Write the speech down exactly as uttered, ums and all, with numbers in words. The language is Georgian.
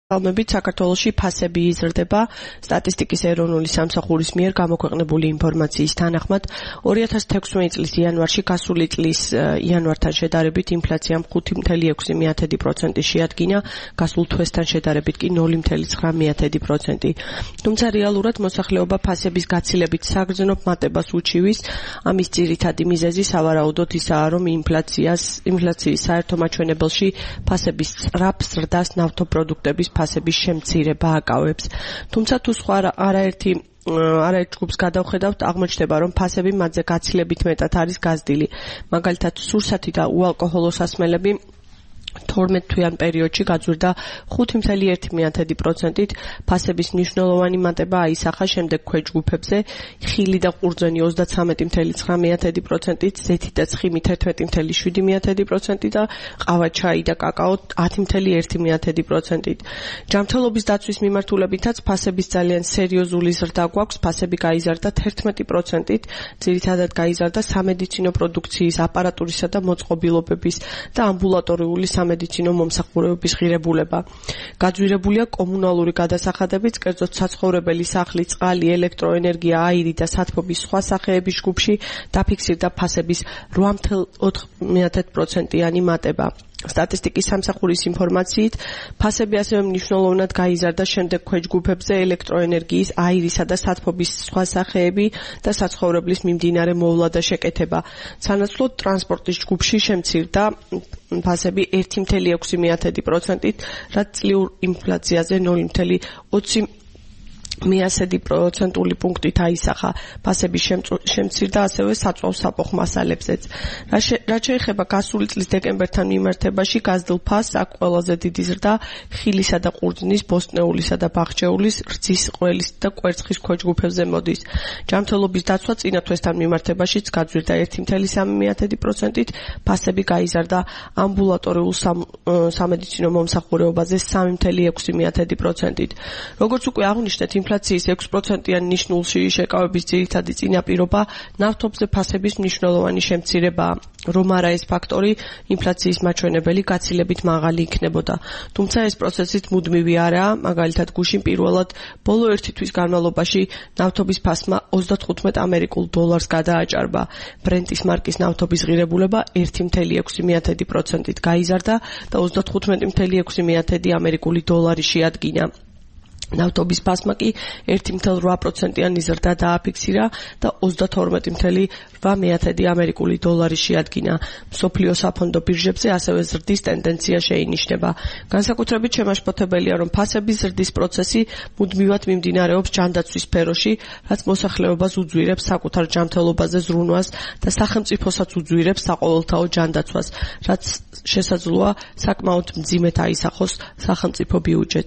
ალბომებით საქართველოში ფასები იზრდება სტატისტიკის ეროვნული სამსახურის მიერ გამოქვეყნებული ინფორმაციის თანახმად ორი ათას თექვსმეტი წლის იანვარში გასული წლის იანვართან შედარებით ინფლაციამ ხუთი მცდარი ექვსი პროცენტი შეადგინა, გასულ თვესთან შედარებით კი ნული მცდარი ცხრა პროცენტი. თუმცა რეალურად მოსახლეობა ფასების გაცილებით საგრძნობ მატებას უჩივის, ამის ძირითადი მიზეზი სავარაუდოდ ისაა, რომ ინფლაციას ინფლაციის საერთო მაჩვენებელში ფასების სწრაფ ზრდას ნავთობპროდუქტების ფასების შემცირება აკავებს. თუმცა თუ სხვა არაერთი არაერთ ჯგუფს გადავხედავთ, აღმოჩნდება, რომ ფასები მათზე გაცილებით მეტად არის გაზრდილი. მაგალითად, სურსათი და უალკოჰოლო სასმელები თორმეტ თვიან პერიოდში გაძვირდა ხუთი მცდარი ერთი პროცენტით, ფასების მნიშვნელოვანი მატება აისახა შემდეგ ქვეჯგუფებზე, ხილი და ყურძენი ოცდათრამეტი მცდარი ცხრა პროცენტით, ზეთი და ცხიმი თერთმეტი მცდარი შვიდი პროცენტით და ყავა, ჩაი და კაკაო ათი მცდარი ერთი პროცენტით. ჯანმრთელობის დაცვის მიმართულებითაც ფასების ძალიან სერიოზული ზრდა გვაქვს, ფასები გაიზარდა თერთმეტი პროცენტით, ძირითადად გაიზარდა სამედიცინო პროდუქციის, აპარატურისა და მოწყობილობების და ამბულატორიული სამედიცინო მომსახურებების ღირებულება. გაძვირებულია კომუნალური გადასახადებიც, კერძოდ საცხოვრებელი სახლი, წყალი, ელექტროენერგია, აირი და სათბობის სხვა სახეების ჯგუფში დაფიქსირდა ფასების რვა მცდარი ოთხ პროცენტიანი მატება. სტატისტიკის სამსახურის ინფორმაციით, ფასები ასევე მნიშვნელოვნად გაიზარდა შემდეგ ქვეჯგუფებზე ელექტროენერგიის, აირისა და სათბობის სხვა სახეები და საცხოვრებლის მიმდინარე მოვლა და შეკეთება. სანაცვლოდ ტრანსპორტის ჯგუფში შემცირდა ფასები ერთი მცდარი ექვსი პროცენტით, რაც წლიურ ინფლაციაზე ნული მცდარი ოცი პროცენტული პუნქტით აისახა. ფასები შემცირდა ასევე საწვავ საფოხ მასალებზეც. რაც შეეხება გასული წლის დეკემბერთან მიმართებაში გაზრდილ ფასს, აქ ყველაზე დიდი ზრდა ხილისა და ყურძნის, ბოსტნეულისა და ბაღჩეულის, რძის, ყველის და კვერცხის ქვეჯგუფებზე მოდის. ჯანმრთელობის დაცვა წინა თვესთან მიმართებაშიც გაძვირდა ერთი მცდარი სამი პროცენტით, ფასები გაიზარდა ამბულატორიულ სამედიცინო მომსახურებაზე სამი მცდარი ექვსი პროცენტით. როგორც უკვე აღვნიშნეთ, ინფლაციის ექვს პროცენტიან ნიშნულში შეკავების ძირითადი წინაპირობა ნავთობზე ფასების მნიშვნელოვანი შემცირებაა. რომ არა ეს ფაქტორი, ინფლაციის მაჩვენებელი გაცილებით მაღალი იქნებოდა. თუმცა ეს პროცესიც მუდმივი არაა, მაგალითად გუშინ პირველად ბოლო ერთი თვის განმავლობაში ნავთობის ფასმა ოცდათხუთმეტ ამერიკულ დოლარს გადააჭარბა. ბრენტის მარკის ნავთობის ღირებულება ერთი მცდარი ექვსი პროცენტით გაიზარდა და ოცდათხუთმეტი მცდარი ექვსი ამერიკული დოლარი შეადგინა. ნავთობის ფასმა კი ერთი მცდარი რვა პროცენტიანი ზრდა დააფიქსირა და ოცდათორმეტი მცდარი რვა ამერიკული დოლარი შეადგინა. მსოფლიო საფონდო ბირჟებზე ასევე ზრდის ტენდენცია შეინიშნება. განსაკუთრებით შემაშფოთებელია, რომ ფასების ზრდის პროცესი მუდმივად მიმდინარეობს ჯანდაცვის სფეროში, რაც მოსახლეობას უძვირებს საკუთარ ჯანმრთელობაზე ზრუნვას და სახელმწიფოსაც უძვირებს საყოველთაო ჯანდაცვას, რაც შესაძლოა საკმაოდ მძიმედ აისახოს სახელმწიფო ბიუჯეტს.